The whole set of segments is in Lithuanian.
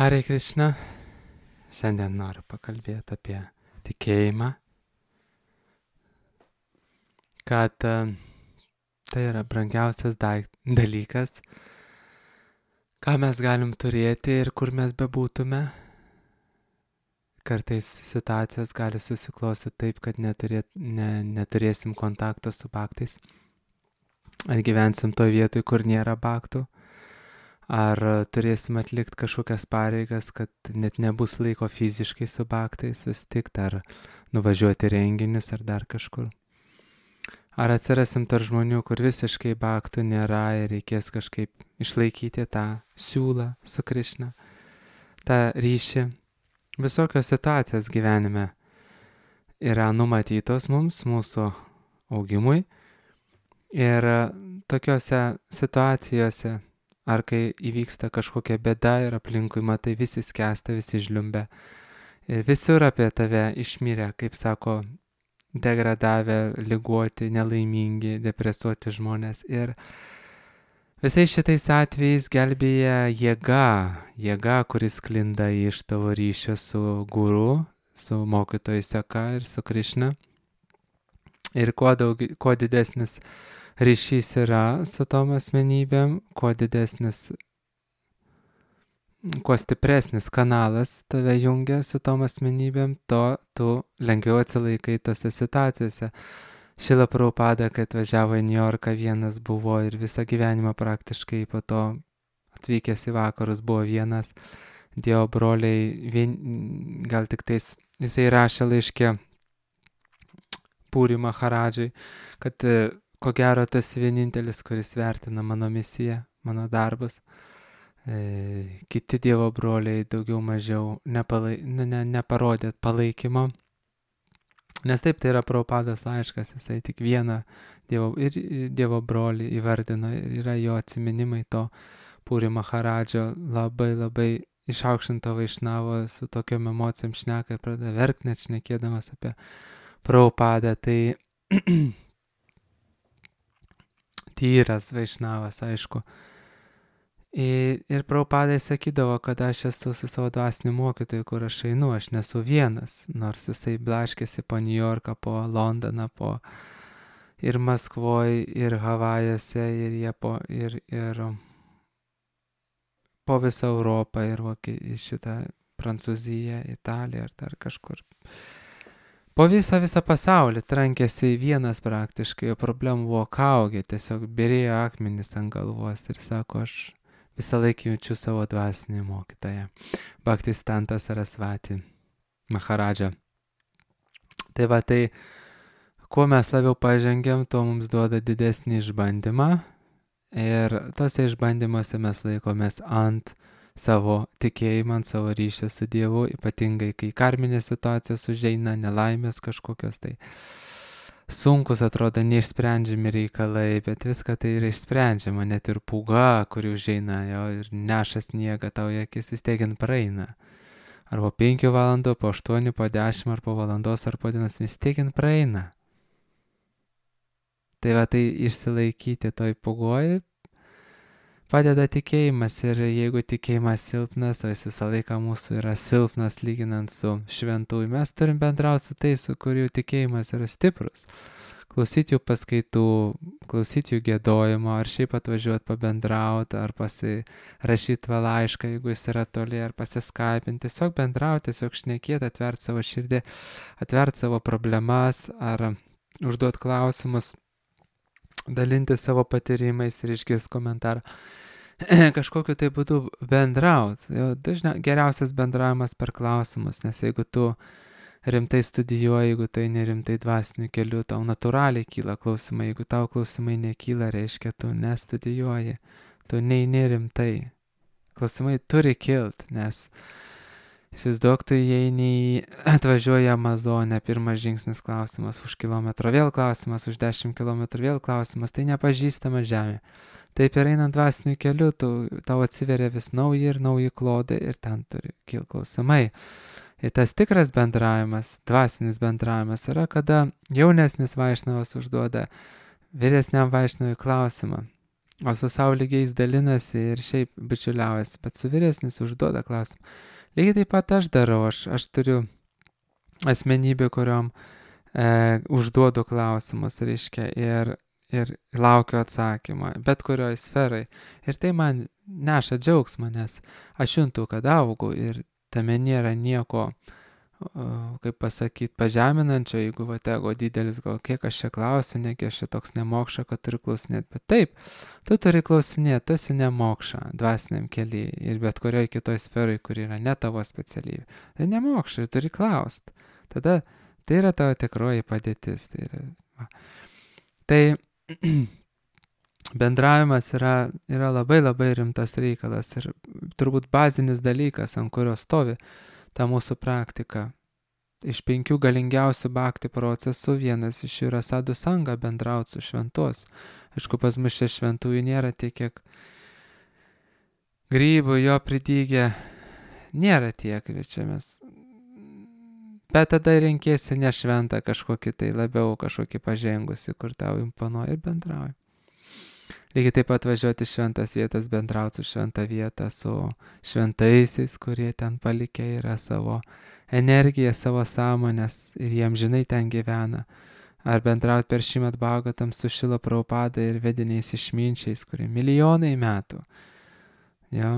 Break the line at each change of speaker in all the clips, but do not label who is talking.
Hare Krishna, šiandien noriu pakalbėti apie tikėjimą, kad tai yra brangiausias dalykas, ką mes galim turėti ir kur mes bebūtume. Kartais situacijos gali susiklostyti taip, kad neturėsim kontakto su baktais. Ar gyvensim toje vietoje, kur nėra baktų. Ar turėsim atlikti kažkokias pareigas, kad net nebus laiko fiziškai su baktais susitikti, ar nuvažiuoti renginius, ar dar kažkur. Ar atsirasim tarp žmonių, kur visiškai baktų nėra ir reikės kažkaip išlaikyti tą siūlą su Krišna, tą ryšį. Visokios situacijos gyvenime yra numatytos mums, mūsų augimui. Ir tokiose situacijose, ar kai įvyksta kažkokia bėda ir aplinkui matai visi skęsta, visi žliumbia. Ir visur apie tave išmirę, kaip sako, degradavę, ligoti, nelaimingi, depresuoti žmonės. Ir visais šitais atvejais gelbėja jėga, kuris sklinda iš tavo ryšio su guru, su mokytoju seka ir su Krišna. Ir kuo didesnis ryšys yra su tom asmenybėm, kuo stipresnis kanalas tave jungia su tom asmenybėm, to tu lengviau atsilaikai tose situacijose. Šrila Prabhupada, kai atvažiavo į Niujorką, vienas buvo ir visą gyvenimą praktiškai po to atvykęs į vakarus buvo vienas. Dievo broliai, gal tik tais, jisai rašė laiške Puri Maharadžai, kad ko gero tas vienintelis, kuris vertina mano misiją, mano darbus. Kiti Dievo broliai daugiau mažiau neparodė palaikymo. Nes taip, tai yra Prabhupados laiškas, jisai tik vieną Dievo brolį įvardino ir yra jo atsiminimai to Puri Maharadžio labai išaukštinto vaišnavo su tokiom emocijom šneka ir pradeda verkti net šnekėdamas apie Prabhupadą. Tai tyras vaišnavas, aišku. Ir Prabhupadai sakydavo, kad aš esu su savo dvasiniu mokytoju, kur aš einu, aš nesu vienas, nors jisai blaškėsi po Niujorką, po Londoną, ir Maskvoje, ir Havajuose, ir po visą Europą, ir šitą Prancūziją, Italiją, ar dar kažkur. Po visą pasaulį trankėsi vienas praktiškai, o problemų buvo kaugė, tiesiog bėrėjo akmenis ant galvos ir sako, aš visą laiką jaučiu savo dvasinį mokytoją, Bhaktisiddhanta Sarasvati Maharadžą. Tai va, tai kuo mes labiau pažengiam, tuo mums duoda didesnį išbandymą ir tose išbandymuose mes laikomės ant savo tikėjimą, ant savo ryšį su Dievu, ypatingai kai karminės situacijos užeina, nelaimės kažkokios, tai sunkus atrodo neišsprendžiami reikalai, bet viską tai yra išsprendžiama, net ir pūga, kuri užeina jo ir neša sniegą tau į akis, vis tiek praeina. Ar po 5 valandų, po 8, po 10, ar po valandos, ar po dienos, vis tiek praeina. Tai va, tai išsilaikyti toj pūgoj padeda tikėjimas, ir jeigu tikėjimas silpnas, o jis visą laiką mūsų yra silpnas lyginant su šventųjų, mes turim bendrauti su tais, su kurių tikėjimas yra stiprus. Klausyti jų paskaitų, klausyti jų giedojimo, ar šiaip atvažiuoti pabendrauti, ar pasirašyti laišką, jeigu jis yra toli, ar pasiskaipinti, tiesiog bendrauti, tiesiog šnekėti, atverti savo širdį, atverti savo problemas, ar užduoti klausimus, dalinti savo patyrimais ir išgirsti komentarą. Kažkokiu tai būdu bendrauti. Geriausias bendravimas per klausimus, nes jeigu tu rimtai studijuoji, jeigu tai nerimtai dvasiniu keliu, tau natūraliai kyla klausimai. Jeigu tau klausimai nekyla, reiškia, tu nestudijuoji, tu neini rimtai. Klausimai turi kilti, nes įsivaizduok, tu atvažiuoji į Amazonę, pirmas žingsnis klausimas, už kilometro vėl klausimas, už 10 kilometrų vėl klausimas, tai nepažįstama žemė. Taip ir einant dvasiniu keliu, tau atsiveria vis nauji klodai ir ten turi kilti klausimai. Ir tas tikras bendravimas, dvasinis bendravimas yra, kada jaunesnis vaišnavas užduoda vyresniam vaišnavui klausimą. o su savo lygiais dalinasi ir šiaip bičiuliaujasi, bet su vyresnis užduoda klausimą. Lygiai taip pat aš darau, aš turiu asmenybę, kuriuom užduodu klausimus, reiškia, ir laukiu atsakymą, bet kurioj sferai. Ir tai man neša džiaugsmą, nes aš juntu, kad augu ir tame nėra nieko, kaip pasakyti, pažeminančio, jeigu ego didelis, gal kiek aš čia klausiu, negi aš čia toks nemokša, kad turiu klausinėti. Bet taip, tu turi klausinėti, tu esi nemokša dvasiniam keliui ir bet kurioj kitoj sferai, kur yra ne tavo specialybė. Tai nemokša ir turi klausti. Tada tai yra tavo tikroji padėtis. Tai bendravimas yra labai labai rimtas reikalas ir turbūt bazinis dalykas, ant kurio stovi ta mūsų praktika. Iš 5 galingiausių bhakti procesų vienas iš jų yra sadhu sanga, bendrauti su šventos. Aišku, pas mus čia šventųjų nėra tiek, kiek grybų jo pridygė, nėra tiek, čia mes. Bet tada renkėsi ne šventą kažkokį tai labiau kažkokį pažengusi, kur tau imponuoja ir bendrauja. Lygiai taip pat važiuoti šventas vietas, bendrauti su šventą vietą, su šventaisiais, kurie ten palikę yra savo energiją, savo sąmonės ir jiem žinai ten gyvena. Ar bendrauti per Šrimad Bhagavatam su Šrila Prabhupada ir vediniais išminčiais, kurie milijonai metų. Jo.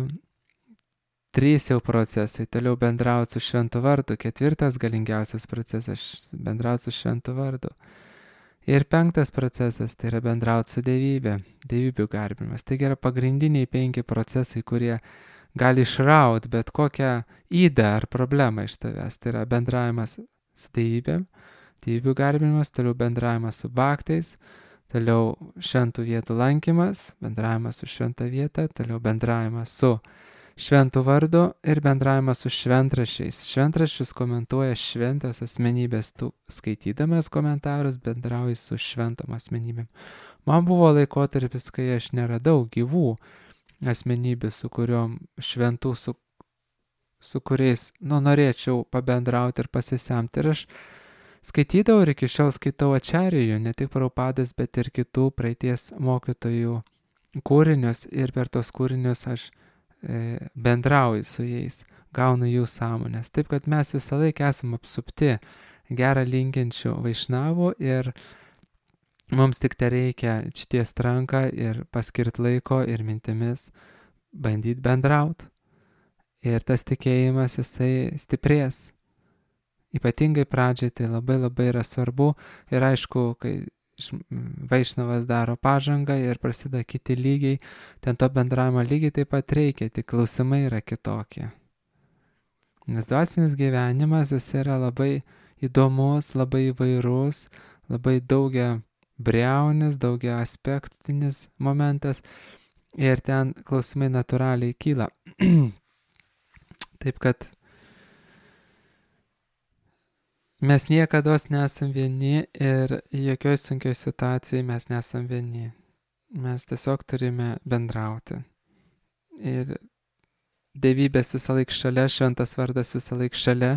3 jau procesai, toliau bendrauti su šventu vardu, 4 galingiausias procesas, bendrauti su šventu vardu. Ir 5 procesas, tai yra bendrauti su dievybė, dievybių garbinimas. Tai yra pagrindiniai 5 procesai, kurie gali išrauti bet kokią ydą ar problemą iš tavęs. Tai yra bendravimas su dievybėm, dievybių garbinimas, toliau bendravimas su bhaktais, toliau šventų vietų lankymas, bendravimas su šventa vieta, toliau bendravimas su šventų vardu ir bendravimas su šventraščiais. Šventraščius komentuoja šventas asmenybės, tu skaitydamas komentarus bendrauji su šventom asmenybėm. Man buvo laikotarpis, kai aš neradau gyvų asmenybių, su kuriuom šventų, su kuriais norėčiau pabendrauti ir pasisemti. Ir aš skaitydavau ir iki šiol skaitau Ačarijų, ne tik Prabhupadas, bet ir kitų praeities mokytojų kūrinius ir per tos kūrinius aš bendrauju su jais, gaunu jų sąmonės. Taip, kad mes visą laiką esame apsupti gerą linkinčių vaišnavų ir mums tik tai reikia ištiest ranką ir paskirti laiko ir mintimis bandyti bendrauti. Ir tas tikėjimas jisai stiprės. Ypatingai pradžiai tai labai labai yra svarbu ir aišku, kai vaišnavas daro pažangą ir prasideda kiti lygiai, ten to bendravimo lygiai taip pat reikia, tik klausimai yra kitokie. Nes dvasinis gyvenimas jis yra labai įdomus, labai įvairus, labai daugia briaunis, daugia aspektinis momentas ir ten klausimai natūraliai kyla. Taip kad mes niekada nesam vieni ir jokioj sunkioj situacijai mes nesam vieni. Mes tiesiog turime bendrauti. Ir dievybės visą laiką šalia, šventas vardas visą laiką šalia,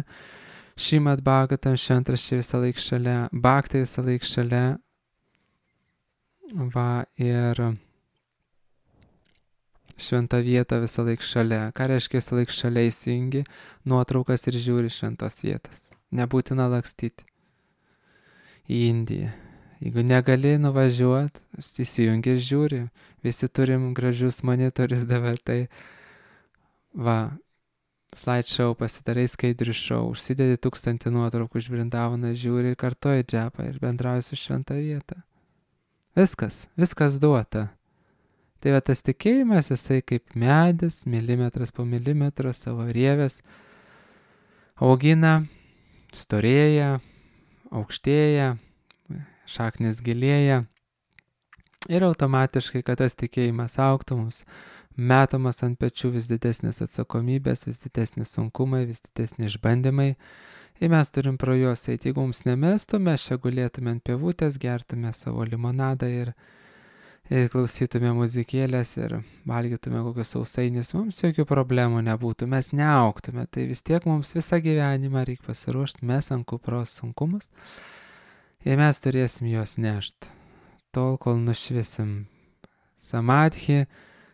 Šrimad Bhagavatam šventraščiai visą laiką šalia, bhaktai visą laiką šalia. Va, ir šventa vieta visą laiką šalia. Ką reiškia visą laiką šalia įsijungi nuotraukas ir žiūri šventos vietas. Nebūtina lakstyti į Indiją. Jeigu negali nuvažiuoti, įsijungi ir žiūri. Visi turim gražius monitorius dabar, tai va, slideshow pasidarai skaidrių šou, užsidedi 1000 nuotraukų iš Vrindavaną, žiūri ir kartoji džepą ir bendrauji su šventa vieta. Viskas duota. Tai va tas tikėjimas, jisai kaip medis, milimetras po milimetro savo rievės augina, storėja, aukštėja, šaknis gilėja ir automatiškai, kad tas tikėjimas augtų, mums metamas ant pečių vis didesnės atsakomybės, vis didesnis sunkumai, vis didesni išbandymai ir mes turim pro juos eiti. Jeigu mums nemestų, mes čia gulėtume ant pievutės, gertume savo limonadą ir klausytume muzikėlės ir valgytume kokius sausainius, mums jokių problemų nebūtų, mes neaugtume, tai vis tiek mums visą gyvenimą reikia pasiruošti, mes ant kupros sunkumus ir mes turėsim juos nešti, tol kol nušviesim Samadhi,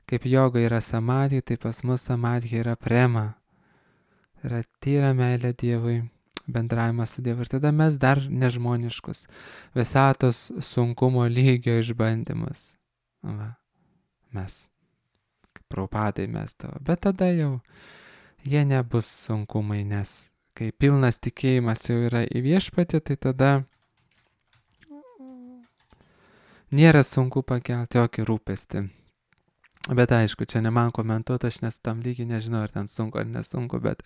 kaip joga yra samadhi, tai pas mus samadhi yra prema. Tai yra tyra meilė Dievui, bendravimas su Dievu. Ir tada mes dar nežmoniškus, visatos sunkumo lygio išbandymus. Va, mes, kaip Prabhupadai mes tavo. Bet tada jau jie nebus sunkumai, nes kai pilnas tikėjimas jau yra į viešpatį, tai tada nėra sunku pakelti jokį rūpestį. Bet aišku, čia ne man komentuoti, aš nesu tam lygiai, nežinau, ar ten sunku ar nesunku, bet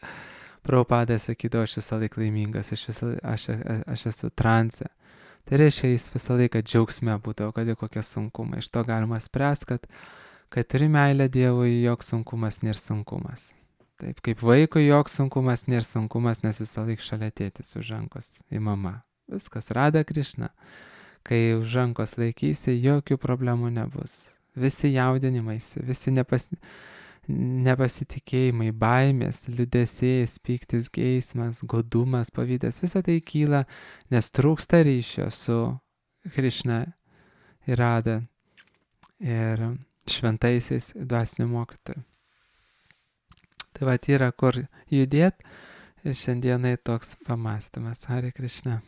Prabhupada sakydavo, aš visą laiką laimingas, aš esu transe. Tai reiškia, jis visą laiką džiaugsme būdavo, kad ir kokie sunkumai. Iš to galima spręsti, kad turi meilę Dievui, joks sunkumas nėra sunkumas. Taip, kaip vaikui joks sunkumas nėra sunkumas, nes visą laiką šalia tėtis už rankos į mamą. Viskas, Rada Krišna. Kai už rankos laikysi, jokių problemų nebus. Visi jaudinimaisi, visi nepasitikėjimai, baimės, liūdesys, pyktis, geismas, godumas, pavydas, visa tai kyla, nes trūksta ryšio su Krišna ir Rada ir šventaisiais dvasiniu mokytoju. Tai va, yra kur judėti ir šiandienai toks pamastymas. Hare Krišna.